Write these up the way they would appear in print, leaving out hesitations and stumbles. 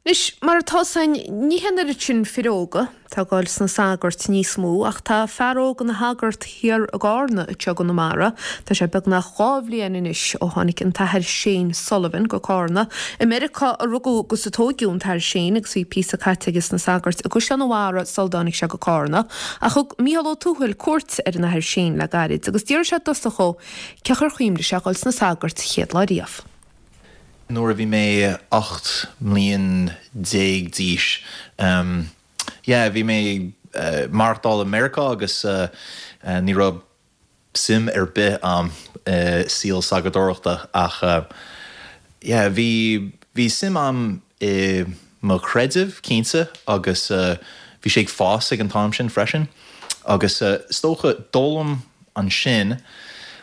Anois, mar atá 'fhios a'inn, ní hé an oiread sin fir óga atá ag dul sna sagairt níos mó, ach tá fear óg ina shagart thiar i gCarna anseo i gConamara. Tá sé beagnach 2 bhliain anois ó tháinig an tAthair Shane Sullivan go Cárna. I Meiriceá a rugadh agus a tóigeadh an tAthair Shane agus bhí píosa caite aige sna sagairt i gCaisleán an Bharraigh sul dtáinig sé go Cárna. Ach thug Mícheál Ó Tuathail cuairt ar an Athair Shane le gairid agus d'fhiafraigh sé i dtosach dhó cén chaoi ar chuimhnigh sé dhul sna sagairt chéad lá riamh. Nuair a bhí mé 18 mbliain d'aois, yeah, bhí mé ag maireachtáil i Meiriceá agus ní raibh suim ar bith a'm i saol sagartóireachta ach yeah, bhí, bhí suim a'm i mo chreideamh, cinnte, agus bhí sé ag fás ag an t-am sin freisin agus is dócha d'fhoghlaim ansin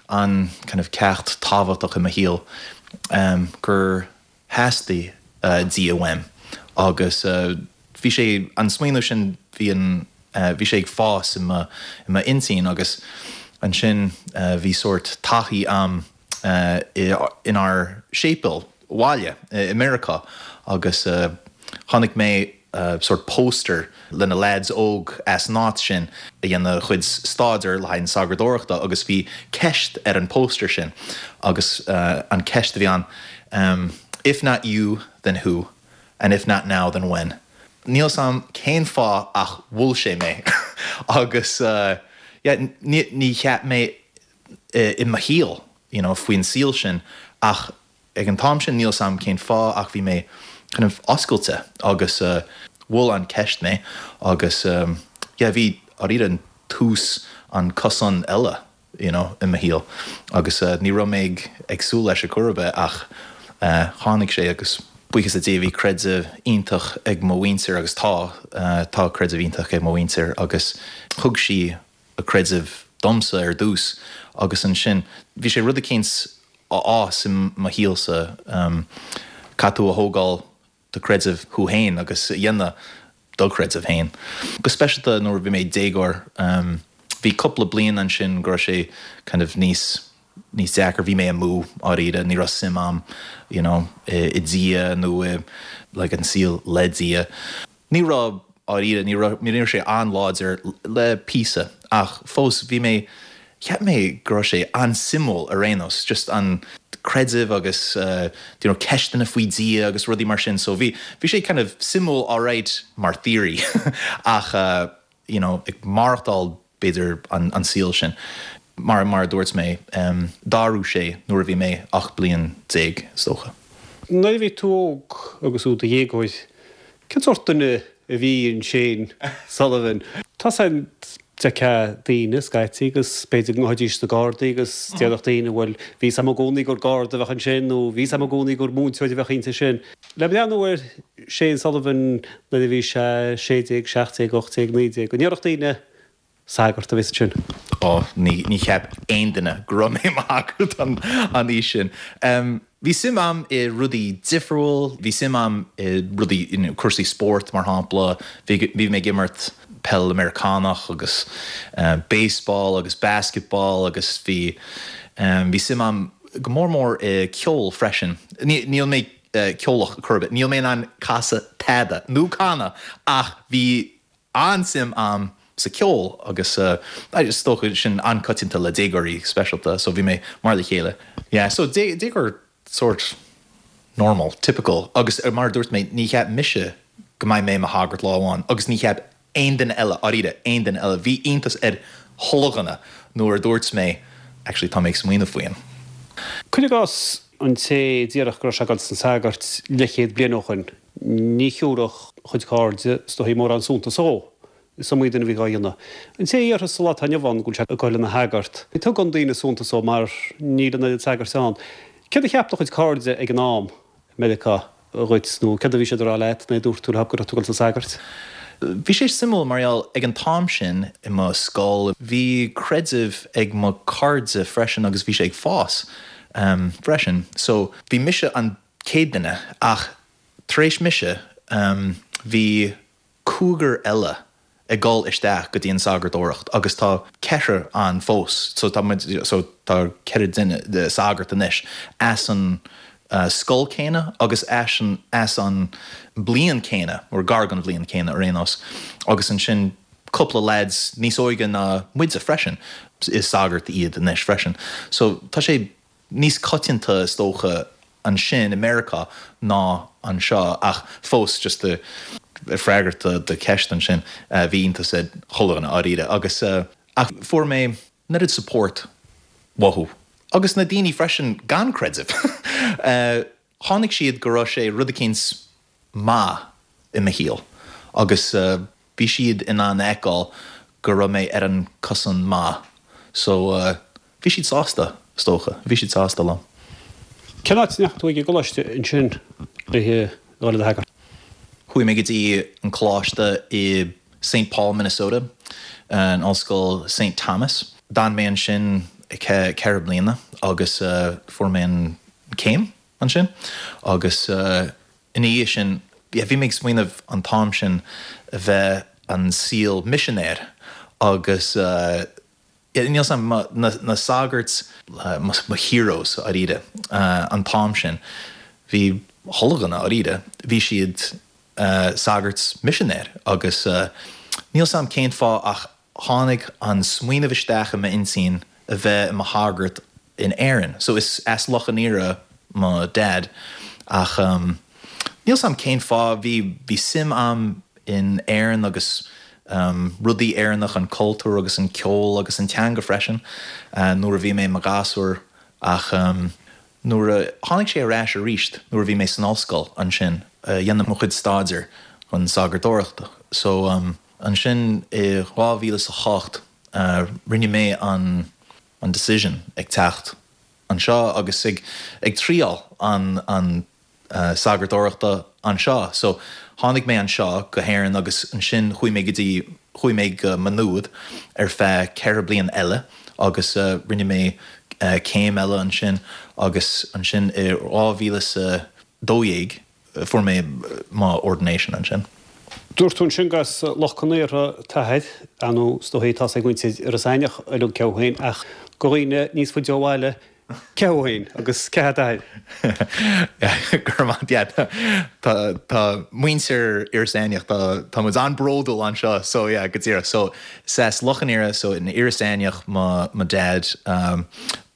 an kind of ceacht tábhachtach i mo shaol gur theastaigh Dia uaim agus bhí sé, an smaoineamh sin, bhí an, bhí sé ag fás i mo, i m'intinn agus ansin bhí sórt taithí a'm inár séipéal bhaile i Meiriceá agus chonaic mé sórt poster le na lads óg as an áit sin a dhéanamh a chuid staidéir le haghaidh an sagartóireachta agus bhí ceist ar an poster sin agus an ceist a bhí ann If not you then who and if not now then when? Níl 's a'm cén fáth ach mhol sé mé agus yeah ní cheap mé i mo shaol you know faoin saol sin ach ag an t-am sin níl 's a'm cén fáth ach bhí mé kind of oscailte agus mhol an ceist mé agus yeah bhí dáiríre an tús an cosán eile you know i mo shaol agus ní raibh mé ag ag súil leis ar chor ar bith ach tháinig sé agus buíochas le Dia bhí creideamh iontach ag mo mhuintir agus tá tá creideamh iontach ag mo mhuintir agus thug sí a creideamh domsa ar dtús agus ansin bhí sé rud eicínt á fhás i mo shaolsa, caithfidh tú a thógáil do creideamh thú féin agus a dhéanamh do chreideamh féin. Go speisialta nuair a bhí mé déagóir, bhí cúpla bliain ansin go raibh sé kind of níos níos deacra, bhí mé amú dháiríre, ní raibh suim a'm you know i Dia nó i like an saol le Dia. Ní raibh, dháiríre, ní raibh, ní raibh sé an-láidir le píosa ach fós bhí mé, cheap mé go raibh sé an-suimiúil ar aon nós, just an creideamh agus you know ceisteanna faoi Dhia agus rudaí mar sin so bhí, bhí sé kind of suimiúil alright mar theory ach you know ag maireachtáil b'fhéidir an saol sin. Mar mar a dúirt mé, d'athraigh sé nuair a bhí mé 18 bliain, is dócha. Nuair a bhí tú óg agus tú i do dhéagóir, cén sórt duine a bhí in Shane Sullivan? Tá 's a'm d'fheicfeá daoine scaití agus b'fhéidir go ngabhfaidís sna Gardaí agus déarfadh daoine bhuel bhí 's a'm i gcónaí gur Garda a bheadh ansin nó bhí 's a'm i gcónaí gur múinteoir a bheadh inti sin. Le breathnú ar Shane Sullivan nuair a bhí sé 16, 17, 18, 19, an ndéarfadh daoine sagart a bheas ansin? Ó, ní, ní cheap aon duine go raibh mé i mo shagart an aois sin. Bhí suim a'm i rudaí difriúil, bhí suim a'm i rudaí, you know, cúrsaí spóirt mar shampla, bhí, bhí mé ag imirt peil Meiriceánach agus baseball agus basketball agus bhí, bhí suim a'm go mór mór i ceol freisin. Ní, níl mé ceolach chor ar bith. Níl mé in ann casadh tada nó canadh ach bhí an-suim a'm sa ceol agus is dócha sin an-coitianta le déagóirí speisialta so bhí mé mar le chéile. Yeah so déagóir sórt normal, typical agus mar a dúirt mé ní cheap mise go mbeidh mé i mo shagart lá amháin agus ní cheap aon duine eile, dáiríre, aon duine eile. Bhí iontas ar chuile dhuine nuair a dúirt mé, actually tá mé ag smaoineamh faoi an. Cuir i gcás, an té a déarfadh go raibh sé ag dul sna sagairt leathchéad bliain ó shoin, ní thiúrfadh a chuid cairde is dóichí mórán suntais dhó. Is iomaí duine a bhí dhá dhéanamh. An té a dhéarfas sa lá atá inniu ann go bhfuil sé ag dul ina shagart, ní tugann daoine suntas dó mar níl an oiread sagairt ann. Céard a cheap do chuid cairde ag an am? Meiriceá dhuit nó céard a bhí siad a rá leat nuair a dúirt tú leo go raibh tú ag dul sna sagairt? Bhí sé suimiúil mar gheall ag an t-am sin i mo scoil bhí creideamh ag mo cairde freisin agus bhí sé ag fás freisin so bhí mise an chéad duine ach tar éis mise bhí cúigear eile ag dul isteach go dtí an sagartóireacht agus tá ceathrar ann fós so tá muid so tá ceithre duine sagart anois as an. scoil céanna agus as an as an bliain céanna, or gar don bhliain céanna ar aon nós, agus ansin cúpla lads níos óige ná muide freisin, is sagairt iad anois freisin. So tá sé níos coitianta is dócha ansin i Meiriceá ná anseo ach fós just ag freagairt do do cheist ansin bhí iontas ar chuile dhuine dháiríre agus ach fuair mé an oiread support uathu agus na daoine freisin gan creideamh chonaic siad go raibh sé rud eicínt maith i mo shaol agus bhí siad in ann a fheiceáil go raibh mé ar an cosán maith so bhí siad sásta is dócha, bhí siad sásta liom. Cén áit a ndeachaigh tú ag an gcoláiste ansin le dhul i do shagart? Chuaigh mé go dtí an coláiste i Saint Paul, Minnesota, an Ollscoil Saint Thomas. D'fhan mé ansin 4 bliana agus fuair mé an céim ansin agus ina dhiaidh sin bhí mé ag smaoineamh an t-am sin a bheith an saol misinéir agus níl 'fhios a'm na sagairt mo heroes dháiríre an t-am sin bhí chuile dhuine dháiríre bhí siad sagairt misinéir agus níl 'fhios a'm cén fáth ach tháinig an smaoineamh isteach i m'intinn a bheith i mo shagart in Éirinn. So is as Loch an Iora mo Dad ach níl 'fhios a'm cén fáth, bhí, bhí suim a'm in Éirinn agus rudaí Éireannach, an cultúr agus an ceol agus an teanga freisin nuair a bhí mé i mo ghasúr ach nuair a tháinig sé ar ais arís nuair a bhí mé san ollscoil ansin a dhéanamh mo chuid staidéir chun sagartóireachta. So ansin i 2008 rinne mé an an decision ag teacht anseo agus ag ag triáil an an sagartóireachta anseo. So tháinig mé anseo go hÉirinn agus ansin chuaigh mé go dtí chuaigh mé go Maigh Nuad ar feadh 4 bliain eile agus rinne mé céim eile ansin agus ansin i 2012 Fuair mé mo ordination ansin. Dúirt tú ansin gur as Loch Con Aortha t'athair, ar ndóigh is dóichí tá's ag muintir Iorras Aithneach uilig cé thú féin ach do dhaoine níos faide ó bhaile cé thú féin agus cé hé d'athair? Go raibh maith agat. Tá tá muintir Iorras Aithneach tá tá muid an-bródúil anseo so yeah go díreach so is as Loch an Iora so in Iorras Aithneach mo mo dad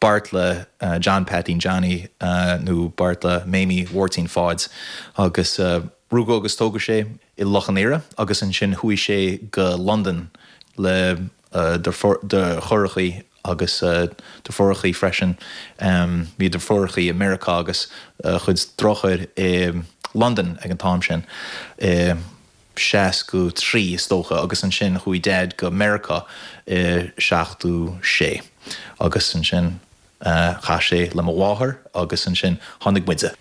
Beartla John Peaitín Johnny nó Beartla Mamie Mháirtín Pháid agus rugadh agus tógadh sé i Loch an Iora agus ansin chuaigh sé go Londain le deartháireachaí agus deirfiúrachaí freisin. Bhí deirfiúrachaí i Meiriceá agus a chuid deartháir i Londain ag an t-am sin. I 63 is dócha agus ansin chuaigh Dad go Meiriceá i 76 agus ansin chas sé le mo mháthair agus ansin tháinig muide.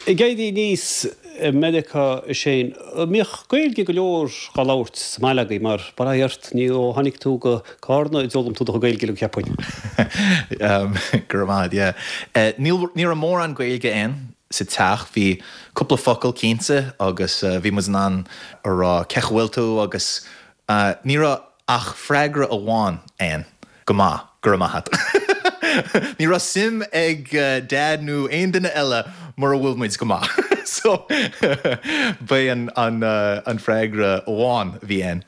Ag éirí aníos i Meiriceá a Shane, an mbíodh Gaeilge go leor dhá labhairt sa mbaile agaibh mar bail ó Dhia ort ní ó tháinig tú go Cárna a d'fhoghlaim tú do chuid Gaeilge uilig cheapfainn. Go raibh maith agat, yeah. Níl, ní raibh mórán Gaeilge ann sa teach. Bhí cúpla focal cinnte agus bhí muid in ann a rá cén chaoi a bhfuil tú agus ní raibh ach freagra amháin ann, go maith, go raibh maith agat. Ní raibh suim ag Dad nó aon duine eile mura bhfuil muid go maith. So ba é an freagra amháin a bhí ann.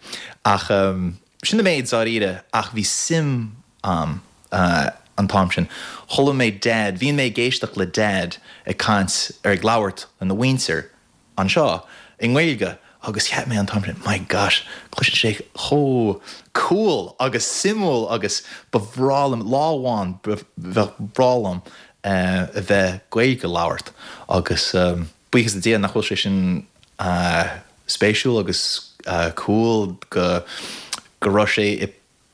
Ach sin an méid dáiríre ach bhí suim a'm an t-am sin. Chuala mé Dad, bhíonn mé ag éisteacht le Dad ag caint ar ag labhairt lena mhuintir anseo i nGaeilge agus cheap mé an t-am sin, my gosh, cloiseann sé chomh cool agus suimiúil agus ba bhreá liom, lá amháin bheadh breá liom a bheith Gaeilge a labhairt agus buíochas le Dia nach bhfuil sé sin spéisiúil agus cool go go raibh sé i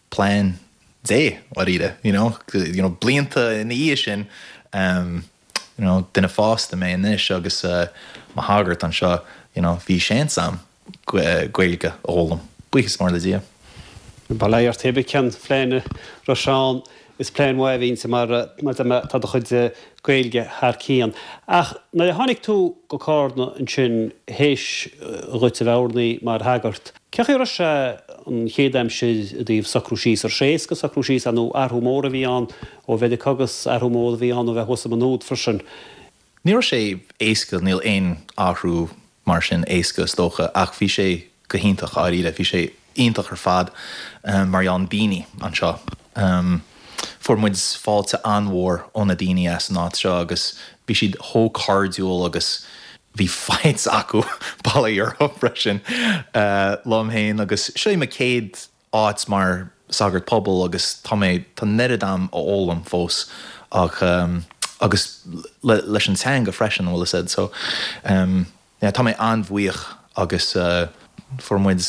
plean Dé, dháiríre, you know, you know, blianta ina dhiaidh sin, you know, duine fásta mé anois agus mo shagart anseo, you know, bhí seans a'm Gaeilge a fhoghlaim, buíochas mór le Dia. Bail ó Dhia ort, pé cén phlean a raibh sé ann, is plean mhaith a bhí inti mar, mar tá do chuid Gaeilge thar cionn. Ach nuair a tháinig tú go Cárna ansin théis dhuit a bheith ordaithe mar shagart, Cén chaoi a raibh sé an chéad aimsir i dtaobh socrú síos? An raibh sé éasca socrú síos nó athrú mór a bhí ann ó Mheiriceá agus athrú mór a bhí ann ó bheith thuas i Maigh Nuad freisin? Ní raibh sé éasca, níl aon athrú mar sin éasca is dócha ach bhí sé go hiontach dháiríre, bhí sé iontach ar fad mar gheall na daoine anseo. Fuair muid fáilte an-mhór ó na daoine as an áit seo agus bhí siad chomh cairdiúil agus bhí fights acu bail ó Dhia orthu freisin liom féin agus seo í mo chéad áit mar sagart pobail agus tá mé, tá an oiread a'm a fhoghlaim fós ach agus le, leis an teanga freisin, bhfuil fhios a'd so yeah tá mé an-bhuíoch agus fuair muid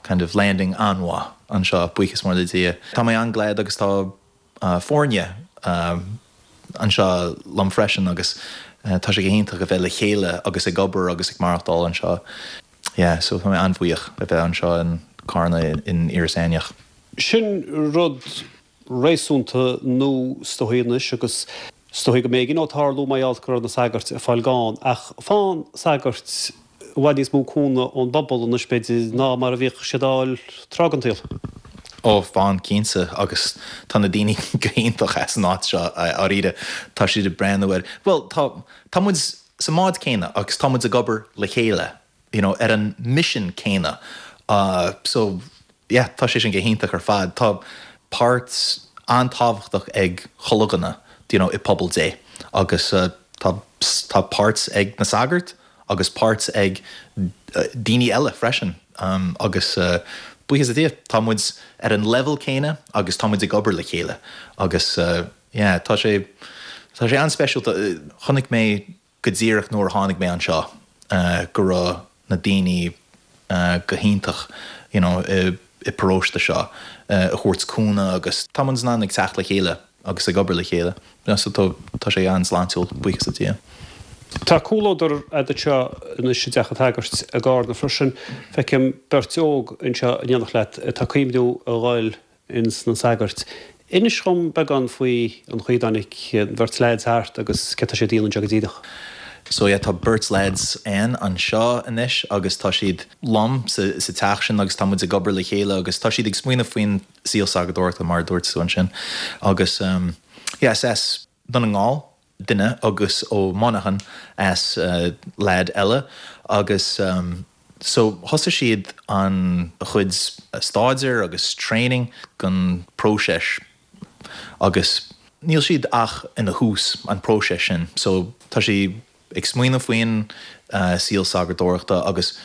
kind of landing an-mhaith anseo, buíochas mór le Dia. Tá mé an-glad agus tá foirne anseo liom freisin agus tá sé go hiontach a bheith le chéile agus ag obair agus ag maireachtáil anseo. Yeah, so tá mé an-bhuíoch a bheith anseo in Carna in Iorras Aithneach. Sin rud réasúnta nua is dóigh anois agus is dóigh go mb'éigean dó tarlú mar gheall go raibh na sagairt ag fáil gann ach faigheann sagairt i bhfad níos mó cúnamh ón bpobal anois b'fhéidir ná mar a bhíodh siad á fháil tráth den tsaol. Ó, faigheann, cinnte, agus tá na daoine go hiontach as an áit seo, dháiríre. Tá siad ag breathnú ar, bhuel, tá, tá muid sa mbád céanna agus tá muid ag obair le chéile, you know, ar an misean céanna. So, yeah, tá sé sin go hiontach ar fad. Tá páirt an-tábhachtach ag chuile dhuine, you know, i pobal Dé agus tá, tá páirt ag na sagairt agus páirt ag daoine eile freisin agus buíochas le Dia, tá muid ar an level céanna agus tá muid ag obair le chéile agus yeah, tá sé, tá sé an-speisialta. Chonaic mé go díreach nuair a tháinig mé anseo go raibh na daoine go hiontach you know i paróiste seo a thabhairt cúnamh agus tá muid in ann ag teacht le chéile agus ag obair le chéile so tá tá sé an-sláintiúil, buíochas le Dia. Tá comhluadar a'd anseo anois i dteach an tsagairt i gCarna freisin. Feicim beirt óg anseo in éineacht leat atá ag cuimhniú a dhul ins na sagairt. Inis dhom beagán faoi an chaoi a dtáinig an bheirt leaids thart agus céard tá siad a dhéanamh anseo go díreach. So yeah tá beirt leaids ann anseo anois agus tá siad liom sa sa teach sin agus tá muid ag obair le chéile agus tá siad ag smaoineamh faoin saol sagartóireachta mar a dúirt tú ansin agus yeah is as Dún na nGall duine agus ó Monaghan as leaid eile agus so thosaigh siad an chuid staidéir agus training don próiseas agus níl siad ach ina thús an próiseas sin so tá siad ag smaoineamh faoin saol sagartóireachta agus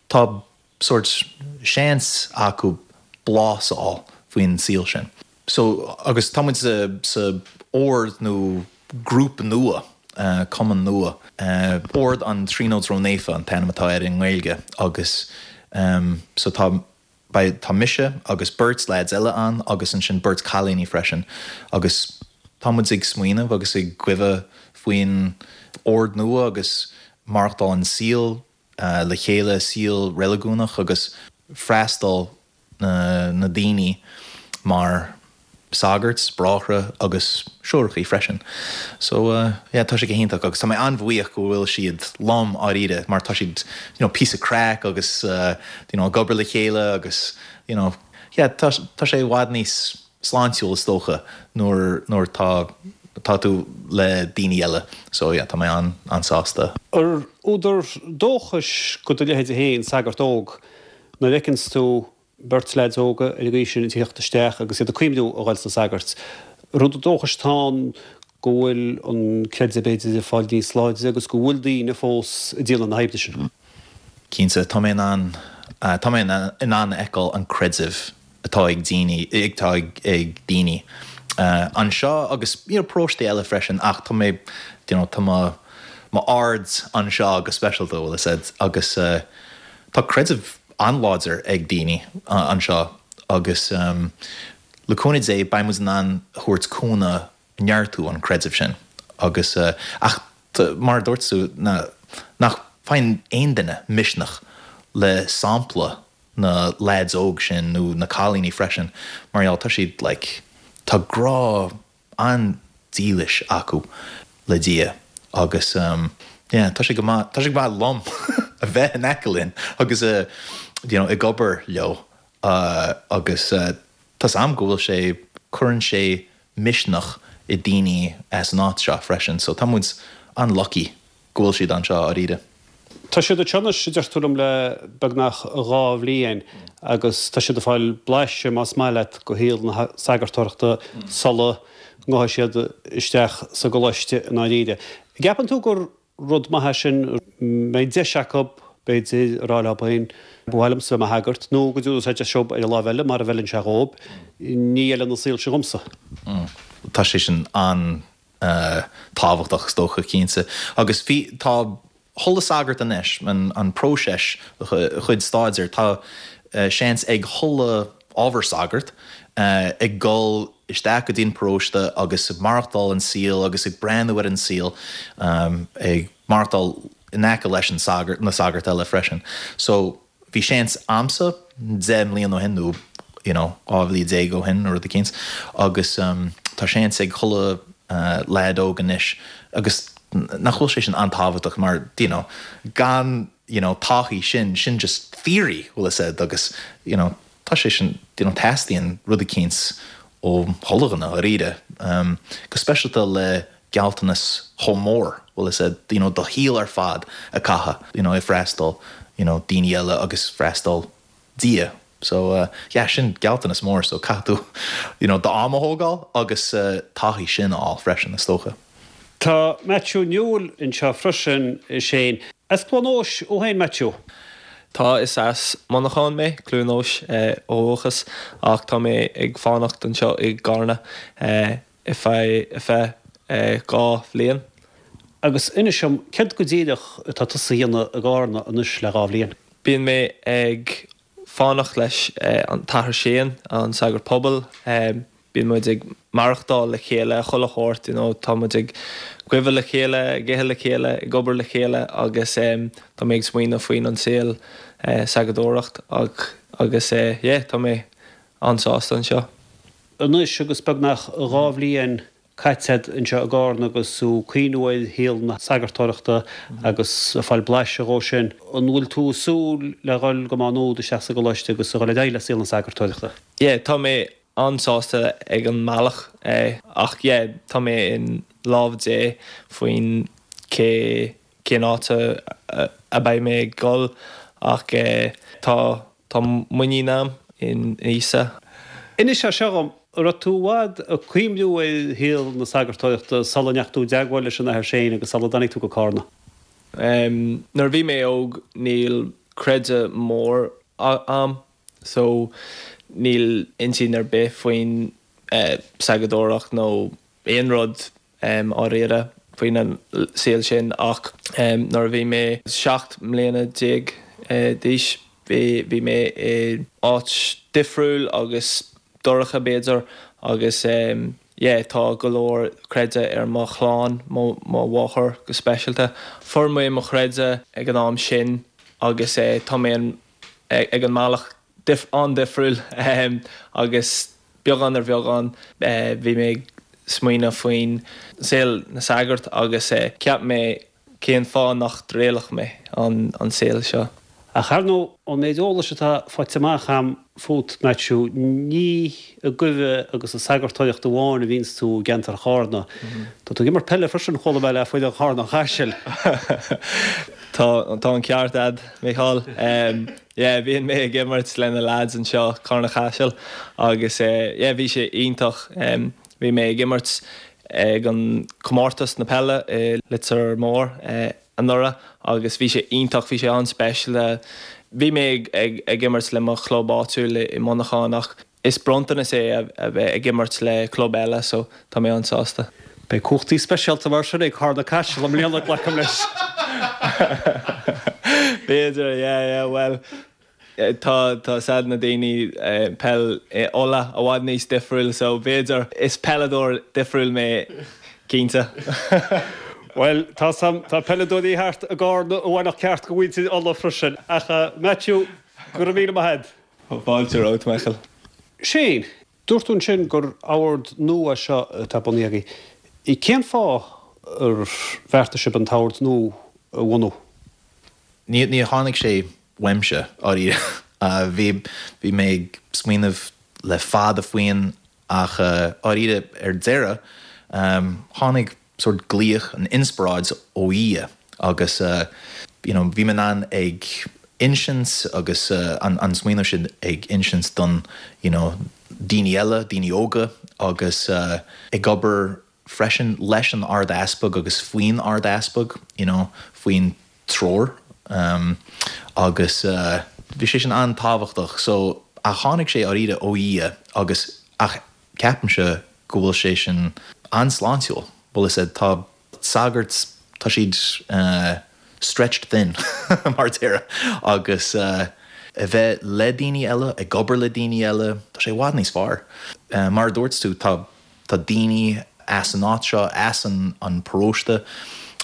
tá sórt seans acu blas a fháil faoin saol sin. So, agus tá muid sa, sa ord nó grúpa nua, cumann nua, Ord an Tríonóid Ró-Naofa an t-ainm atá air i nGaeilge agus so tá, beidh, tá mise agus beirt leaids eile ann agus ansin beirt cailíní freisin agus tá muid ag smaoineamh agus ag cuimhneamh faoin ord nua agus maireachtáil an saol le chéile, saol reiligiúnach agus freastal na daoine mar sagairt, bráithre agus siúrachaí freisin. So yeah tá sé go hiontach agus tá mé an-bhuíoch go bhfuil siad liom dháiríre mar tá siad you know píosa craic agus you know ag obair le chéile agus you know yeah tá tá sé i bhfad níos sláintiúil is dócha nuair nuair tá tá tú le daoine eile so yeah tá mé an an-sásta. Ar údar dóchais do do leithéide féin, sagart óg, nuair a fheiceanns tú beirt leaids óga ar an gcaoi sin ag tíocht isteach agus iad ag cuimhniú a dhul sna sagairt, ar údar dóchais atá ann go bhfuil an creideamh b'fhéidir ag fáil níos láidre agus go bhfuil daoine fós ag déanamh na hoibre sin? Cinnte, tá mé in ann tá mé in ann a fheiceáil an creideamh atá ag daoine, atá ag daoine anseo agus you know paróistí eile freisin ach tá mé you know tá mo mo aird anseo go speisialta bhfuil fhios a'd agus tá creideamh an-láidir ag daoine anseo agus le cúnamh Dé beidh muid in ann a thabhairt cúnamh neartú an creideamh sin agus ach mar a dúirt tú nach faigheann aon duine misneach le sampla na leaids óg sin nó na cailíní freisin mar gheall tá siad like tá grá an-dílis acu le Dia agus yeah tá sé go maith tá sé go maith liom a bheith in aice linn agus you know ag obair leo agus tá's a'm go bhfuil sé cuireann sé misneach i daoine as an áit seo freisin so tá muid. an-lucky go bhfuil siad anseo, dháiríre. Tá siad anseo anois, a deir tú liom, le beagnach 2 bhliain agus tá siad ag fáil blaiseadh, más maith leat, de shaol na sagartóireachta sula ngabhfaidh siad isteach sa gcoláiste i ndáiríre. An gceapann tú gur rud maith é sin, mbeidh deis acu, b'fhéidir, a rá leo féin, ba mhaith liomsa bheith i mo shagart, nó go dtabharfaidh sé deis dóibh ar an láimh eile, mara bhfeileann sé dhóibh, ní fheileann an saol seo dhomsa. Tá sé sin an-tábhachtach, is dócha, cinnte. Agus bhí, tá chuile sagart anois, an próiseas, chuid staidéir, tá seans ag chuile ábhar sagart ag dul isteach go dtí an paróiste agus ag maireachtáil an saol agus ag breathnú ar an saol, ag maireachtáil in aice leis an sagart, na sagairt eile freisin. So bhí seans a'msa 10 mbliana ó shin nó you know 12 bhliain ó shin nó rud eicínt agus tá seans ag chuile leaid óg anois agus nach bhfuil sé sin an-tábhachtach mar you know gan you know taithí sin, sin just theory bhfuil fhios a'd agus you know tá sé sin you know teastaíonn rud eicínt ó chuile dhuine dháiríre go speisialta le gealltanas chomh mór bhfuil fhios a'd you know do shaol ar fad a caitheamh you know ag freastal you know daoine eile agus freastal Dia so yeah sin gealltanas mór so caithfidh tú you know d'am a thógáil agus taithí sin a fháil freisin is dócha. Tá Maitiú Newell anseo freisin, a Shane. As Cluain Eois thú féin, Maitiú? Tá, is as Muineachán mé, Cluain Eois ó dhúchas, ach tá mé ag fanacht anseo i gCarna ar feadh 2 bhliain. Agus inis dom, céard go díreach atá tusa a dhéanamh i gCarna anois le 2 bhliain? Bíonn mé ag fanacht leis an tAthair Shane, an sagart pobail. Bíonn muid ag maireachtáil le chéile chuile shórt, you know, tá muid ag gabháil le chéile, ag ithe le chéile, ag obair le chéile agus tá mé ag smaoineamh faoin an saol sagadóireacht agus yeah, tá mé an-sásta anseo. Anois agus beagnach 2 bhliain caite agat anseo i gCarna agus tú ag cuimhniú ar shaol na sagartóireachta agus ag fáil blaiseadh dhó sin, an bhfuil tú ag súil le dhul go Má Nuad isteach sa gcoláiste agus a dhul ar aghaidh le saol na sagartóireachta? Yeah, tá mé an-sásta ag an mbealach ach yeah, tá mé in lámh Dé faoin cé cén áit a beidh mé ag dul ach tá Tá muinín a'm in Íosa. Inis é seo dhom, an raibh tú i bhfad ag cuimhniú ar shaol na sagartóireachta sula ndeachaigh tú i dteagmháil leis an Athair Shane agus sula dtáinig tú go Cárna? Nuair a bhí mé óg níl creideamh mór a'm so níl intinn ar bith faoin sagadóireacht nó aon rud dháiríre faoin an saol sin ach nuair a bhí mé 17 mbliana d'aois bhí mé i áit difriúil agus dorcha b'fhéidir agus yeah tá go leor creideamh ar mo chlann, mo mháthair go speisialta. Fuair mé mo chreideamh ag an am sin agus tá mé ag an mbealach an-difriúil agus beagán ar bheagán bhí mé ag smaoineamh faoin saol na sagart agus cheap mé cén fáth nach dtriailfeadh mé an saol seo. Ach ar ndóigh, ón méid eolais atá faighte amach a'm fút, Maitiú, ní ag goimhe agus ag sagartóireacht amháin a bhíonns tú i gceantar Chárna. Tá tú ag imirt peile freisin, chuala mé, le foireann Charna an Chaisil. Tá, tá an ceart a'd, Mícheál. Yeah, bíonn mé ag imirt le na lads anseo, Carna Caiseal, agus yeah, bhí sé iontach. Bhí mé ag imirt ag an comórtas na peile i Leitir Móir anuraidh agus bhí sé iontach, bhí sé an-speisialta. Bhí mé ag ag imirt le mo chlub áitiúil i Muineachán ach is bronntanas é a bheith ag imirt le club eile so tá mé an-sásta. Beidh cumhachtaí speisialta mar sin ag Carna Caiseal i mbliana, glacaim leis. B'fhéidir, yeah, yeah, bhuel, tá, tá said na daoine, peil Uladh i bhfad níos difriúil so b'fhéidir, is peileadóir difriúil mé cinnte. Bhuel, tá sam, tá peileadóirí thart i gCarna a bhainfeadh ceart go mhuintir Uladh freisin. Ach, Matthew, go raibh míle maith agat. Fáilte romhat, Michael. Shane, dúirt tú ansin gur ord nua é seo atá bunaithe agaibh. Cén fáth ar bheartaigh sibh an t-ord nua a bhunú? Ní tháinig sé uaimse, dháiríre. Bhí bhí mé ag smaoineamh le fada faoin ach dháiríre ar deireadh tháinig. sórt glaoch, an inspioráid ó Dhia agus you know bhí mé in ann ag insint agus an an smaoineamh sin ag insint don you know daoine eile, daoine óga agus ag obair freisin leis an Ard Easpag agus faoin Ard Easpag you know faoin treoir agus bhí sé sin an-tábhachtach so ach tháinig sé dáiríre ó Dhia agus ach ceapaimse go bhfuil sé sin an-sláintiúil bhfuil fhios a'd tá sagairt tá siad stretched thin mar a déarfá agus a bheith le daoine eile ag obair le daoine eile tá sé i bhfad níos fearr mar a dúirt tú tá Tá daoine as an áit seo, as an an paróiste,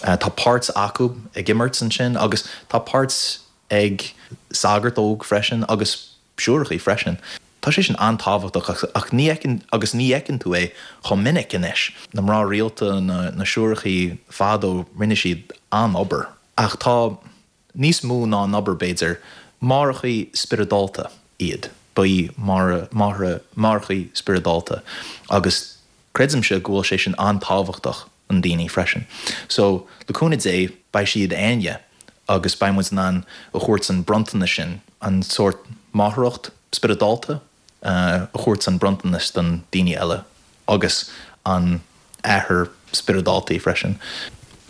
tá páirt acu ag imirt ansin agus tá páirt ag sagart óg freisin agus siúrachaí freisin. Tá sé sin an-tábhachtach ach ní fheiceann agus ní fheiceann tú é chomh minic anois. Na mná rialta, na na siúrachaí fadó, rinne siad an-obair ach tá níos mó ná an obair, b'fhéidir, máithreachaí spioradálta iad, ba í Máire máithre máithreachaí spioradálta agus creidimse go bhfuil sé sin an-tábhachtach don daoine freisin. So, le cúnamh Dé, beidh siad againne agus beidh muid in ann a thabhairt an bronntanas sin, an sórt máithreacht spioradálta, a thabhairt an bronntanas don daoine eile agus an athair spioradálta freisin.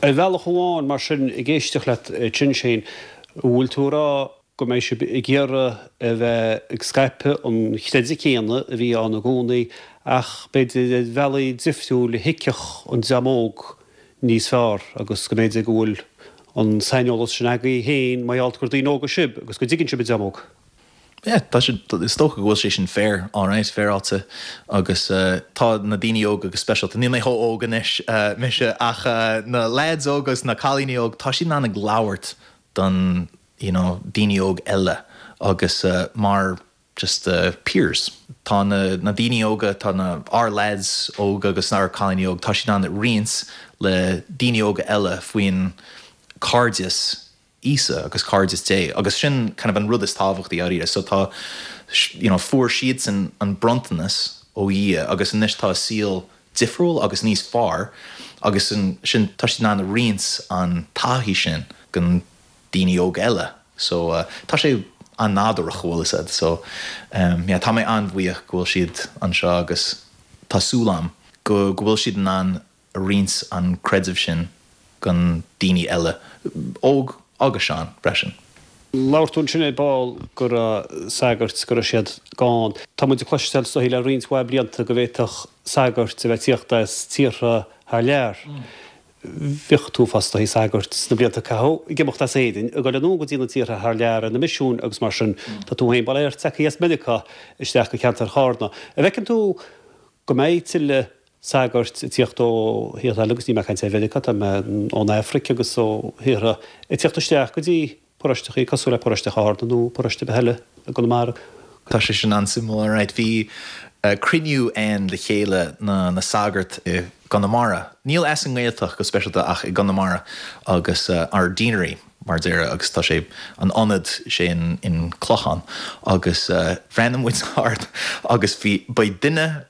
Ar bhealach amháin, mar sin, ag éisteacht leat ansin, Shane, an bhfuil tú ag rá go mbeidh sibh ag iarraidh a bheith ag scaipeadh an chreideamh céanna a bhí ann i gcónaí ach b'fhéidir ar bhealaí difriúil a thuigfeadh an dream óg níos fearr agus go mb'fhéidir go bhfuil an saineolas sin agaibh féin mar gheall gur daoine óga sibh agus go dtuigeann sibh an dream óg? Yeah, tá sé, is dócha go bhfuil sé sin fair, alright, féaráilte agus tá na daoine óga go speisialta, níl mé chomh óg anois, mise, ach na lads óga agus na cailíní óg, tá siad in ann ag labhairt don, you know, daoine óg eile agus mar just peers. Tá na, na daoine óga, tá na, ár lads óga agus ár cailíní óg, tá siad in ann roinnt le daoine óga eile faoin cairdeas Íosa agus cairdeas Dé agus sin kind of an rud is tábhachtaí dáiríre. So tá you know fuair siadsan an bronntanas ó Dhia agus anois tá a saol difriúil agus níos fearr agus ansin tá siad in ann a roinnt an taithí sin don daoine óg eile. So tá sé an-nádúrach bhfuil fhios a'd. So yeah tá mé an-bhuíoch go bhfuil siad anseo agus tá súil a'm go go bhfuil siad in ann a roinnt an creideamh sin don daoine eile, óg agus sean, freisin. Labhair tú ansin ar ball go raibh sagairt, go raibh siad gann. Tá muid ag cloisteáil is dóichí le roinnt mhaith blianta go bhféadfadh sagairt a bheith ag tíocht as tíortha thar lear. Bheadh tú fostaithe sagairt sna blianta a caitheadh ag imeacht as Éirinn, ag dul anonn go dtí na tíortha thar lear ar na misiúin agus mar sin. Tá tú féin bail ó Dhia ort tagtha as Meiriceá isteach go ceantar Chárna. An bhfeiceann tú go mbeidh tuilleadh sagairt ag tíocht ó thíortha eile, agus níl mé ag caint ar Mheiriceá, tá mé ón Afraic agus ó thíortha, ag tíocht isteach go dtí paróisteachaí cosúil le paróiste Chárna nó paróiste ar bith eile i gConamara. Tá sé sin an-suimiúil, alright. Bhí cruinniú ann le chéile na na sagart i gConamara, níl as an nGaeltacht go speisialta ach i gConamara agus ár deanery mar a déarfá agus tá sé an ionad sé in in Clochán agus bhreathnaigh muid thart agus bhí beidh duine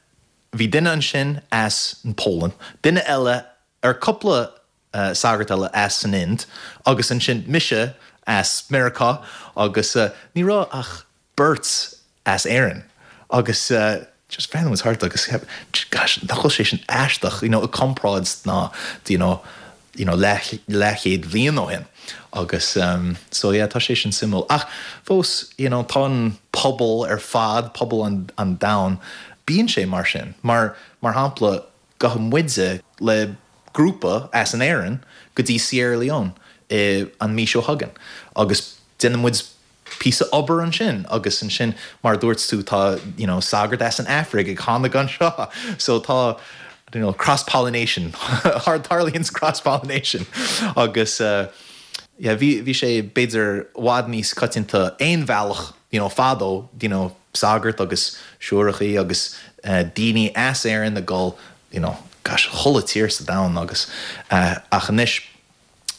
Bhí duine ansin as an Pholainn, duine eile, ar cúpla sagart eile as an Ind agus ansin mise as Meiriceá agus ní raibh ach beirt as Éirinn agus just bhreathnaigh muid thart agus cheap gosh nach bhfuil sé sin aisteach you know i comparáid ná you know you know leath leathchéad bhliain ó shin agus so yeah tá sé sin suimiúil ach fós you know tá an pobal ar fad, pobal an an domhain, bíonn sé mar sin mar mar shampla gabhfaidh muide le grúpa as an Éirinn go dtí Sierra Leone i an mí seo chugainn agus déanann muid píosa obair ansin agus ansin mar a dúirt tú tá you know sagart as an Afraic ag tháinig anseo so tá you know cross pollination tarlaíonn cross pollination agus eh yeah bhí bhí sé b'fhéidir i bhfad níos coitianta aon bhealach you know fadó you know sagart agus siúrachaí agus eh daoine as Éirinn ag dul you know gosh chuile tír sa domhan agus eh ach anois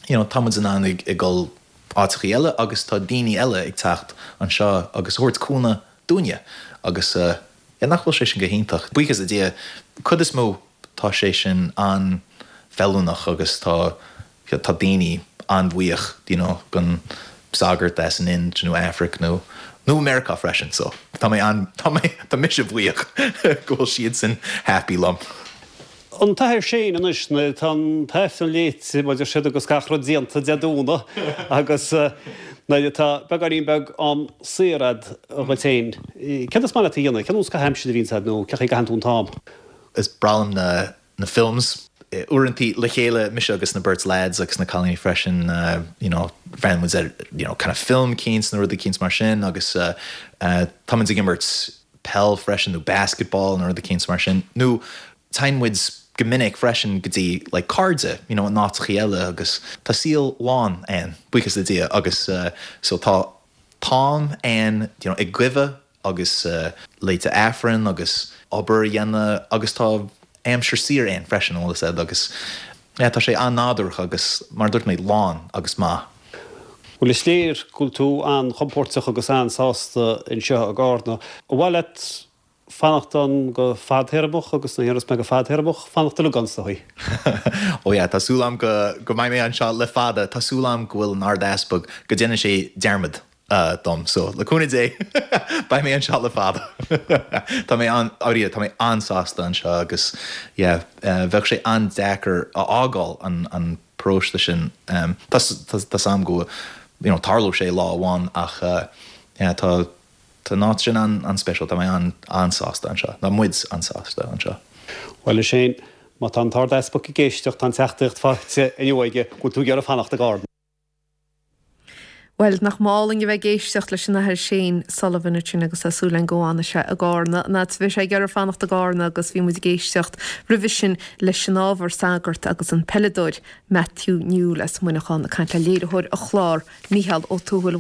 you know tá muid in ann ag dul áiteachaí eile agus tá daoine eile ag teacht anseo agus a thabhairt cúnamh dúinne agus yeah nach bhfuil sé sin go hiontach. Buíochas le Dia, cuid is mó tá sé sin an-. feiliúnach agus tá tá daoine an-bhuíoch you know gon sagart as an Ind nó Afraic nó nó Meiriceá freisin so tá mé an tá mé tá mise buíoch go bhfuil siadsan happy liom. An tAthair Shane anois nuair atá an tAifreann léite mar deir siad agus gach rud déanta Dé Domhnaigh agus nuair atá beagáinín beag am saor a'd dhuit féin, céard is maith leat a dhéanamh? Cén nós caitheamh aimsire a bhíonns a'd nó cén chaoi a gcaitheann tú an t-am? Is breá liom na na films. Uaireantaí le chéile, mise agus na beirt lads agus na cailíní freisin, you know, bhreathnaíonn muid ar, you know, kind of film eicínt nó rud eicínt mar sin agus tá muid ag imirt peil freisin nó basketball nó rud eicínt mar sin. Nó téann muid go minic freisin go dtí like cairde, you know, in áiteachaí eile agus tá saol lán ann, buíochas le Dia agus so tá t-am ann, you know, ag guibhe agus léite Aifreann agus obair a dhéanamh agus tá aimsir saor ann freisin, an bhfuil fhios a'd agus yeah tá sé an-nádúrtha agus mar a dúirt mé lán agus maith. Bhuel is léir go bhfuil tú an-chompóirteach agus an-sásta anseo i gCarna. Ar mhaith leat fanacht ann go fadthéarmach agus nuair a dhéarfas mé go fadthéarmach, fanacht uilig ann is dóigh. Ó yeah, tá súil a'm go go mbeidh mé anseo le fada, tá súil a'm go bhfuil an Ard-Easpag, go déanann sé dearmad dom. So, le cúnamh Dé, beidh mé anseo le fada. Tá mé an, dáiríre, tá mé an-sásta anseo agus, yeah, bheadh sé an-deacair a fhágáil an, an paróiste sin. Tá, tá, tá's a'm go, you know, tarlóidh sé lá amháin ach, yeah, tá, tá an áit sin an, an-speisialta. Tá mé an, an-sásta anseo. Tá muid an-sásta anseo. Bhuel, a Shane, má tá an tArd-Easpag ag éisteacht, tá an teachtaireacht faighte inniu aige go bhfuil tú ag iarraidh fanacht i gCarna. Bhuel, nach mb'álainn a bheith ag éisteacht leis an Athair Shane Sullivan ansin agus tá súil againn go bhfanfaidh sé i gCarna, an fhad is a bheidh sé ag iarraidh fanacht i gCarna agus bhí muid ag éisteacht roimhe sin leis an ábhar sagart agus an peileadóir Matthew Newell as Muineachán ag caint le léiritheoir an chláir Mícheál Ó Tuathail.